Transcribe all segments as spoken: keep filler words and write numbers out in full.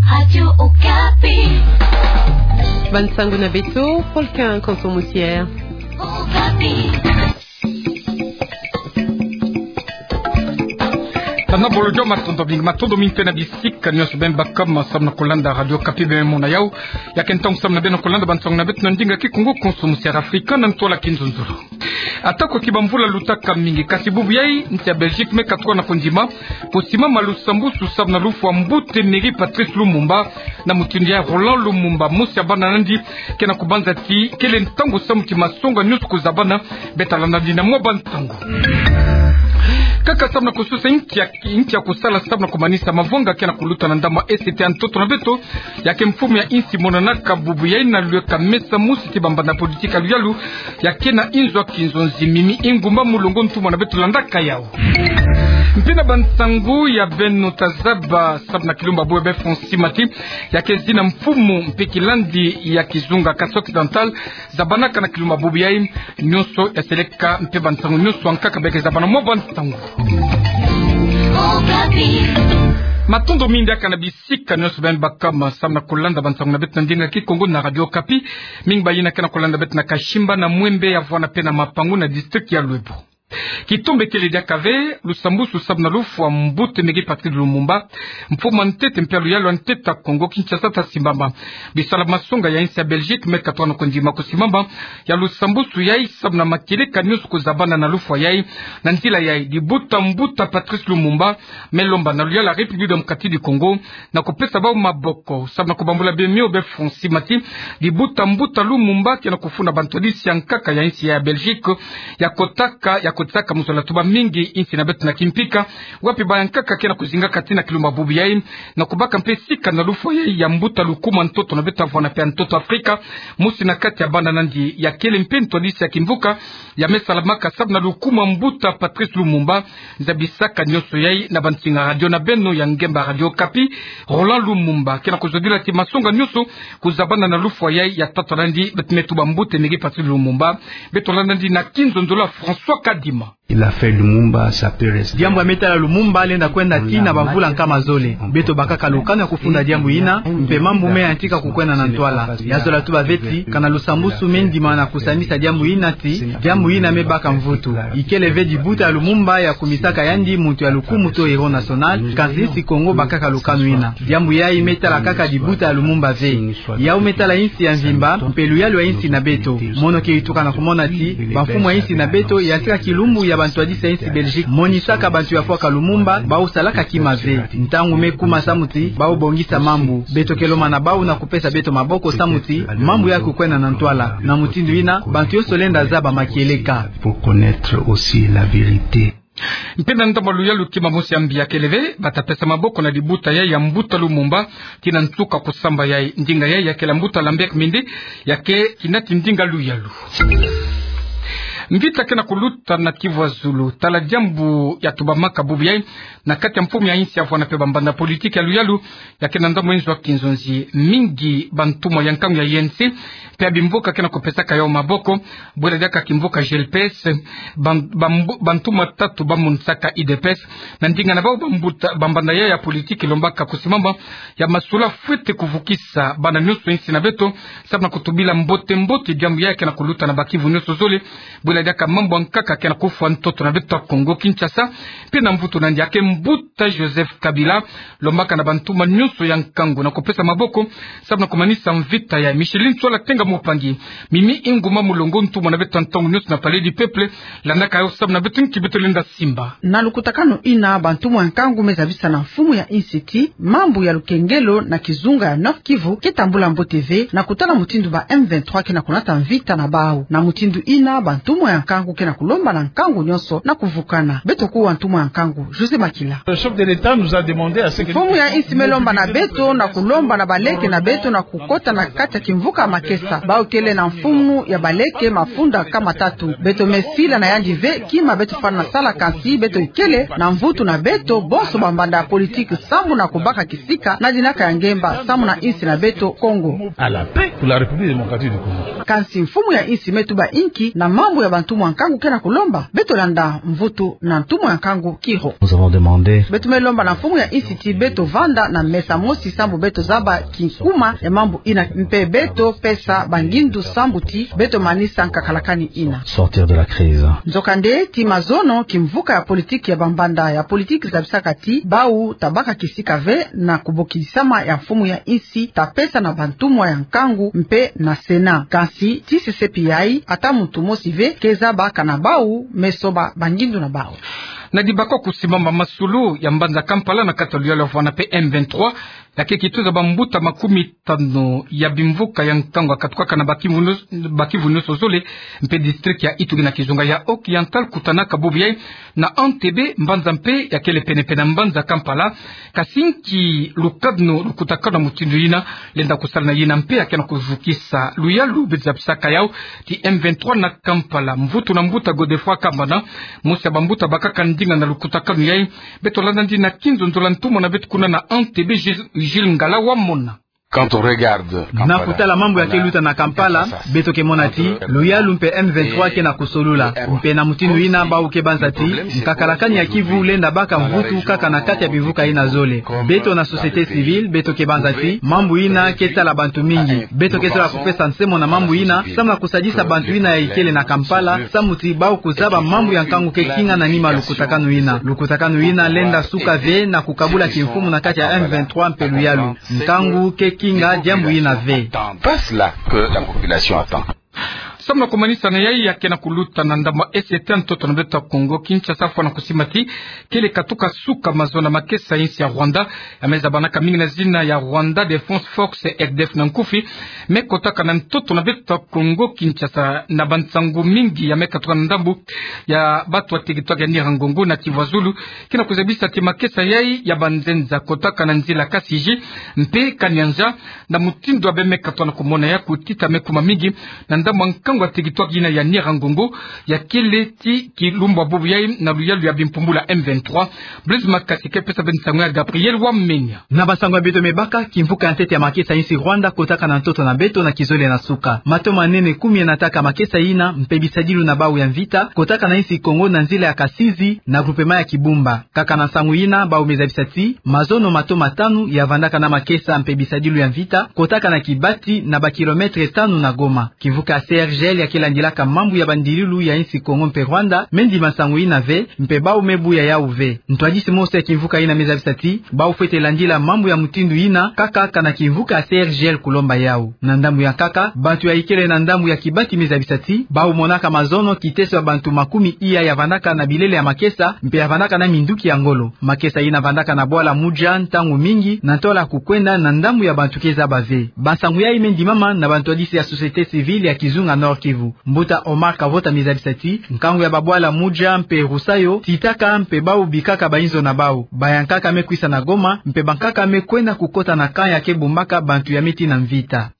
Radio Okapi. Bansango na beto, Polkin Konso Musier. Okapi. Tana bolo jo matondo mingi, matondo mingi mpe na bisika nyonso beno baka samu na kolanda Radio Okapi, beno mona yau. Ya ke ntangu samu na beno kolanda bansango na beto na ndinga Kikongo, Konso Musier Afrika na ntwala kinzonzolo. Atako ki bamvula lutaka mingi, kasi bubu yai, nsi ya Belgique me katuka na kondima kosimama lusambwasu samu na lufwa mbuta Emery Patrice Lumumba, na mutindu ya Roland Lumumba, mosi ya bana nandi, ke na kubanza ti kele ntangu samu ti masonga nyonso kuzabana. Beta landa nandi na mwa bantangu. Kaka samu na kusosa inki ya, inki ya kusala samu na kumanisa mavwanga ke na kuluta na ndambu ya E C T ya ntoto na beto, ya ke mfumu ya insi monanaka bubu yai na lweka mesa mosi ti bambanda politiki ya luyalu, ya ke na inzo ya kinzonzi. Mimi Ingumba Mulongo ntumwa na beto landaka yau. Mpe na bansango ya beno tazaba samu na kilumbu ya bubu ya be France Mati, ya ke zina mfumu mpe kilandi ya kizunga Cassel Occidental, zabanaka na kilumbu ya bubu yai. Nyonso ya seleka mpe bansango nyonso ya nkaka beke zabana mwa bansango. Matondo mingi diaka na bisika nyonso beno baka samu na kolanda bansango na beto na ndinga Kikongo na Radio Okapi. Mingi bayina ke na kolanda beto na Kashimba, na Mwembe, ya vwanda mpe na Mapangu na district ya Lwebo. Kitumbakele diaka ve, lusambwasu samu na lufwa mbuta Emery Patrice Lumumba, mfumu ya ntete mpe ya luyalu ya ntete ya Kongo Kinshasa tasimbama. Bisala masonga ya insi ya Belgique me katuka na kondima kusimama ya lusambwasu yai samu na makieleka nyonso kuzabana na lufwa yai. Na nzila yai, dibuta mbuta Patrice Lumumba me lomba na luyalu ya République Démocratique du Congo na kupesa bau maboko samu na kubambula bemio be France Mati. Dibuta mbuta Lumumba ke na kufunda bantwadisi ya nkaka ya insi ya Belgique ya kotaka, ya kotisaka muzola tuba mingi insi na beto na kimpika, wapi bayankaka ke na kuzinga kati na kilumbu ya bubu yai, na kubaka mpe sika na lufwa yai ya mbuta Lukuma ntoto na beto ya vwanda mpe ya ntoto Afrika, mosi na kati ya bana nandi, ya kele mpe ntwadisi ya kimvuka ya me salamaka samu na Lukuma mbuta Patrice Lumumba. Zabisaka nyonso yai na bansinga radio na beno ya ngemba Radio Okapi. Roland Lumumba ke na kuzodila ti masonga nyonso kuzabana na lufwa yai ya tata nandi, beto me tuba mbuta Emery Patrice Lumumba. Beto landa nandi na kinzonzolo ya François Kadima. Il a fait Lumumba, ça peut rester. Diambu ya me tala Lumumba lenda kwenda tii na bamvula nkama zole. Beto bakaka lukanu ya kufunda diambu yina, mpe mambu me yantika kukwenda na ntwala. Ya zola tuba ve ti, kana lusambwasu me ndima na kusanisa diambu yina ti, diambu yina me baka mvutu. Ikele ve dibuta ya Lumumba ya kumisaka yandi muntu ya lukumu to héros national, kansi insi Kongo bakaka lukanu yina. Diambu yai me tala kaka dibuta ya Lumumba ve. Yau me tala insi ya mvimba, mpe luyalu ya insi na beto. Mono ke ituka na kumona ti bamfumu ya insi na beto yantika kilumbu ya bantwadisi ya insi Belgique monisaka bantu ya fwaka Lumumba, bau salaka kima ve. Ntangu me kuma samu ti bau bongisa mambu. Beto ke lomba na bau na kupesa beto maboko samu ti mambu ya kukwenda na ntwala. Na mutindu yina, bantu yonso lenda zaba makieleka. Pour connaître aussi la vérité. Mpe na ndambu ya luyalu, kima mosi ya mbi ya kele ve, bata pesa maboko na dibuta yai ya mbuta Lumumba, tii na nsuka kusamba yai. Ndinga yai ya kele ya mbuta Lambert Mende, ya ke kinati ndinga luyalu. Mvita ke na kuluta na Kivu ya Zulu, tala diambu ya tubamaka bubu yai, na kati ya mfumu ya insi ya vwanda mpe bambanda politiki ya luyalu, ya ke na ndambu ya nzo ya kinzonzi mingi, bantumwa ya nkangu ya U N C, mpe ya bimvuka ke na kupesaka yau maboko, bwela diaka kimvuka G L P S, ban-, bambu-, bantumwa tatu bamonisaka U D P S, na ndinga na bau bambuta, bambanda yai ya politiki lombaka kusimama ya masula fwete kuvukisa bana nyonso insi na beto, samu na kutubila mbote mbote diambu yai ke na kuluta na ba Kivu nyonso zole, bwela diaka mambu ya nkaka ke na kufwa ntoto na beto ya Kongo Kinshasa, mpe na mvutu nandi ya ke mbuta Joseph Kabila, lombaka na bantumwa nyonso ya nkangu na kupesa maboko, samu na kumanisa mvita yai. Micheline Tswala Tenga Mopangi, Mimi Inguma Mulongo, ntumwa na beto ya ntangu nyonso na Palais du Peuple, landaka yau samu na beto nki beto lenda simba. Na lukutakanu yina, bantumwa ya nkangu me zabisa na mfumu ya insi ti mambu ya lukengelo na kizunga ya Nord-Kivu ke tambula mbote ve, na kutala mutindu ba M vingt-trois ke na kunata mvita na bau. Na mutindu yina, bantumwa ya nkangu ke na kulomba na nkangu nyonso na kuvukana. Beto kuwa ntumwa ya nkangu, José Makila. Le chef de l'État nous a demandé à ce que... Mfumu ya insi me lomba na beto na kulomba na baleke na beto na kukota na kati ya kimvuka makesa. Bau kele na mfumu ya baleke mafunda nkama tatu. Beto me sila na yandi ve kima beto fwana sala, kansi beto ikele na mvutu na beto bonso bambanda ya politiki samu na kubaka kisika na dinaka ya ngemba samu na insi na beto Kongo. À la paix pour la République démocratique du Congo. Kansi mfumu ya insi me tuba inki na mambu ya Ntumwa nkangu ke na kulomba beto landa mvutu na ntumwa nkangu Kiro. Nous avons demandé. Beto me lomba na mfumu ya insi ti beto vanda na mesa mosi sambu beto zaba kinkuma ya mambu ina mpe beto pesa bangindu sambu ti beto manisa nkakalakani ina. Sortir de la crise. Nzokande ti mazono kimvuka ya politiki ya bambanda ya politiki zabisaka ti bau tabaka kisika ve na kubokisama ya mfumu ya insi ta pesa na bantumwa ya nkangu mpe na Sénat. Kansi ti sesepi yayi ata muntu mosi ve ke zaba kana bau me soba bangindu na bau. Na dibaka kusimama masulu ya mbanza Kampala na kati ya luyalu ya vwanda mpe M vingt-trois, ya ke kituza bambuta makumi tanu ya bimvuka ya nkangu ya katukaka na bakivu nyo-, bakivu nyonso zole, mpe district ya Ituri na kizunga ya Occidental kutanaka bubu yayi na Entebbe, mbanza mpe ya kele penepene na mbanza Kampala. Kasi nki lukadeno, lukutakanu ya mutindu yina lenda kusala na yina mpe ya ke na kuvukisa luyalu? Beto zabisaka yawu ti M vingt-trois na Kampala. Mvutu na mbuta Godefroid Kambana, mosi ya bambuta bakaka ndinga na lukutakanu yayi. Beto landa ndi na kinzonzolo ya ntumwa na beto kuna na Entebbe, Gilles, Gilles Ngala wa mona. Quand on regarde Na kutala mambu ya ke luta na Kampala, beto ke mona ti luyalu mpe M vingt-trois ke na kusolula. Mpe na mutindu yina bau ke banza ti nkakalakani ya kivu lenda baka mvutu kaka na kati ya bimvuka yina zole. Beto na société civile, beto ke banza ti mambu yina ke tala bantu mingi. Beto ke zola kupesa nsemo na mambu yina, samu na kusadisa bantu yina ya ikele na Kampala, samu ti bau kuzaba mambu ya nkangu ke kinga na nima lukutakanu yina. Lukutakanu yina lenda suka ve na kukabula kimfumu na kati ya M vingt-trois mpe luyalu. Nkangu ke kinga diambu yina ve. Passe là que la population attend. Samu na kumanisa na yayi ya ke na kuluta na ndambu ya S T ntoto na beto ya Kongo Kinshasa, fwana kusimba ti kele katuka suka mazono ya makesa ya insi ya Rwanda, ya me zabanaka mingi na zina ya Rwanda Defense Force, R D F na nkufi, me kotaka na ntoto na beto ya Kongo Kinshasa, na bansangu mingi ya me katuka na ndambu ya bato ya teritware ya Nyiragongo na Kivu ya Zulu, ke na kuzabisa ti makesa yayi ya banzenza kotaka na nzila Kasigi mpe Kanyanja, na mutindu ya beno me katuka na kumona ya kutita me kuma mingi na ndambu ya nkangu ya teritware yina ya Nyiragongo, ya kele ti kilumbu ya bubu yayi na luyalu ya bimpumbulu ya M vingt-trois. Blaise Makasi ke pesa beno nsangu ya Gabriel Wamenya. Na bansangu ya beto me baka, kimvuka ya ntete ya makesa ya insi Rwanda kotaka na ntoto na beto na kizole na suka. Mato manene kumi ya nataka makesa yina, mpe bisadilu na bau ya mvita kotaka na insi Kongo na nzila ya Kasigi na groupement ya Kibumba. Kaka na nsangu yina, bau me zabisa ti mazono mato matanu ya vandaka na makesa mpe bisadilu ya mvita kotaka na Kibati, na ba kilomètre tanu na Goma. Kimvuka ya C R G L ya ke landilaka mambu ya bandililu ya insi Kongo mpe Rwanda me ndima nsangu yina ve, mpe bau me buya yawu ve. Ntwadisi mosi ya kimvuka yina me zabisa ti bau fwete landila mambu ya mutindu yina kaka kana kimvuka ya C R G L kulomba yawu. Na ndambu ya nkaka, bantu ya ikele na ndambu ya Kibati me zabisa ti bau monaka mazono kiteso ya bantu makumi iya ya vandaka na bilele ya makesa mpe ya vandaka na minduki ya ngolo. Makesa yina vandaka na bwala Muja ntangu mingi na ntola kukwenda na ndambu ya bantu ke zaba ve. Bansangu yayi me ndimama na bantwadisi ya société civile ya kizunga Nord-Kivu. Mbuta Omar Kavota me zabisa ti nkangu ya babwala Muja mpe Rusayo titaka mpe bau bikaka bainzo na bau. Bayankaka me kwisa na Goma, mpe bankaka me kwenda kukota na camp ya ke bumbaka bantu ya me tii na mvita.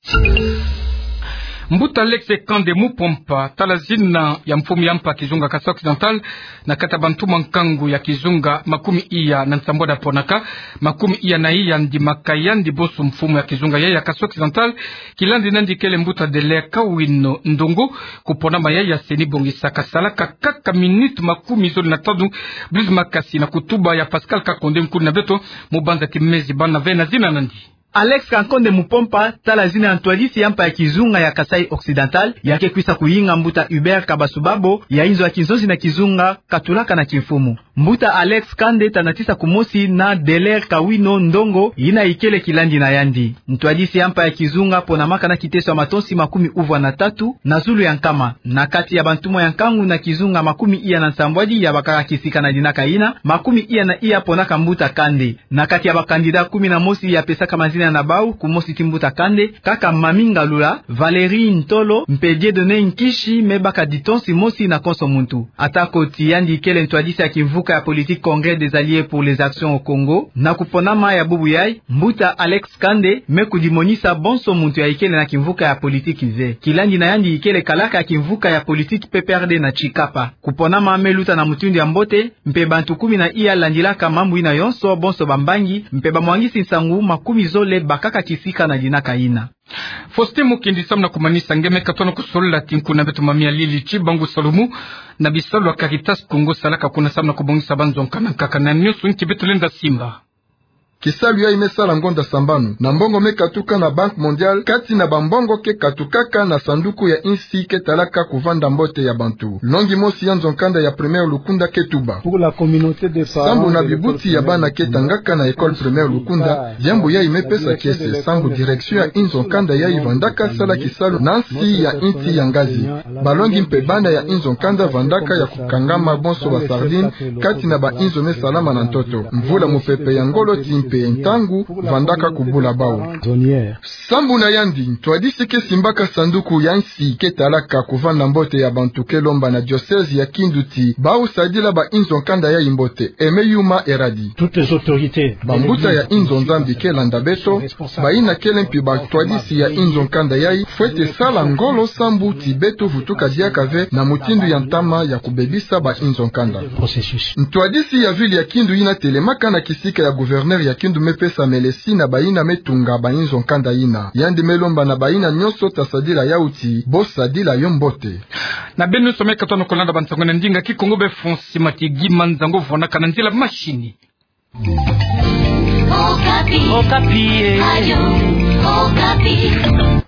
Mbuta Alex Kande Mupompa, tala zina ya mfumu ya mpa kizunga Kasaï Occidental, na kati ya bantumwa nkangu ya kizunga makumi iya na nsambwadi ya ponaka, makumi iya na iya ndimaka yandi bonso mfumu ya kizunga ya, ya Kasaï Occidental, kilandi nandi kele mbuta Delaire Kawino Ndongo, kuponama ya, ya CENI bongisaka salaka kaka minute makumi zole na tanu, Blaise Makasi na kutuba ya Pascal Kakonde, nkulu na beto, mu banza ti mezi bana ve na zina nandi. Alex Kankonde Mupompa, tala zina ya ntwadisi ya mpa ya kizunga ya Kasaï Occidental, ya ke kwisa kuyinga mbuta Hubert Kabasubabo, ya inzo ya kinzonzi na kizunga, katulaka na kimfumu. Mbuta Alex Kande ta natisa kumosi na Delaire Kawino Ndongo, yina ikele kilandi na yandi. Ntwadisi ya mpa ya kizunga ponamaka na kiteso ya matonsi makumi uvwa na tatu na zulu ya nkama. Na kati ya bantumwa ya nkangu na kizunga makumi iya na nsambwadi ya bakaka kisika na dinaka yina, makumi iya na iya ponaka mbuta Kande. Na kati ya ba candidat kumi na mosi ya pesaka mazina na bau, kumosi ti mbuta Kande, kaka Mami Ngalula, Valérie Ntolo, mpe Dieudonné Nkishi me baka ditonsi mosi na konso muntu. Atako ti yandi kele ntwadisi ya kimvuka ya politique Congrès des Alliés pour les Actions au Congo, na kuponama ya bubu yayi, mbuta Alex Kande me kudimonisa bonso muntu ya ikele na kimvuka ya politique ve. Kilandi na yandi ikele kalaka ya kimvuka ya politique P P R D na Tshikapa. Kuponama me luta na mutindu ya mbote, mpe bantu kumi na iya landilaka mambu yina yonso, bonso bambangi, mpe bamwangisi nsangu makumi zole bakaka kisika na dinaka yina. Faustin Mukendi, samu na kumanisa nge me katona kusolola ti nkuna beto Mami Alili Tshibangu Salumu na bisalu ya Caritas Congo salaka kuna samu na kubongisa banzo nkanda nkaka na nionso nti beto lenda simba. Kisalu yayi me sala ngonda sambanu na mbongo me katuka na Banque Mondiale, kati na bambongo ke katukaka na sanduku ya insi ke talaka kuvanda mbote ya bantu. Longi mosi ya nzo nkanda ya primaire Lukunda ke tuba. Sambu na bibuti ya bana ke tangaka na école primaire Lukunda, diambu yayi me pesa kiese, sambu direction ya inzo nkanda yayi vandaka sala kisalu na nsi ya inti ya ngazi. Balongi mpe bana ya inzo nkanda vandaka ya kukangama bonso ba sardine kati na ba inzo me salama na ntoto. Mvula mupepe ya ngolo ti mpe ntangu vandaka kubula bau. Sambu na yandi, ntwadisi ke simbaka sanduku ya insi ke talaka kuvanda mbote ya bantu ke lomba na diocèse ya Kindu ti bau sadila ba inzo nkanda yayi mbote, Aimé Yuma Eradi. Bambuta ya inzo Nzambi ke landa beto, bayina kele mpi bantwadisi ya inzo nkanda yayi, fwete sala ngolo sambu ti beto vutuka diaka ve na mutindu ya ntama ya kubebisa ba inzo nkanda. Ntwadisi ya ville ya Kindu yina telemaka na kisika ya gouverneur ya Kindu me pesa melesi na bayina me tunga ba inzo nkanda yina. Yandi me lomba na bayina nionso ta sadila yau ti bo sadila yo mbote. Na beno nionso me katona kolanda bansango na ndinga Kikongo be Faustin Mukendi, manzango vwanaka na nzila mashini. Okapi. Okapi, eh. Radio Okapi.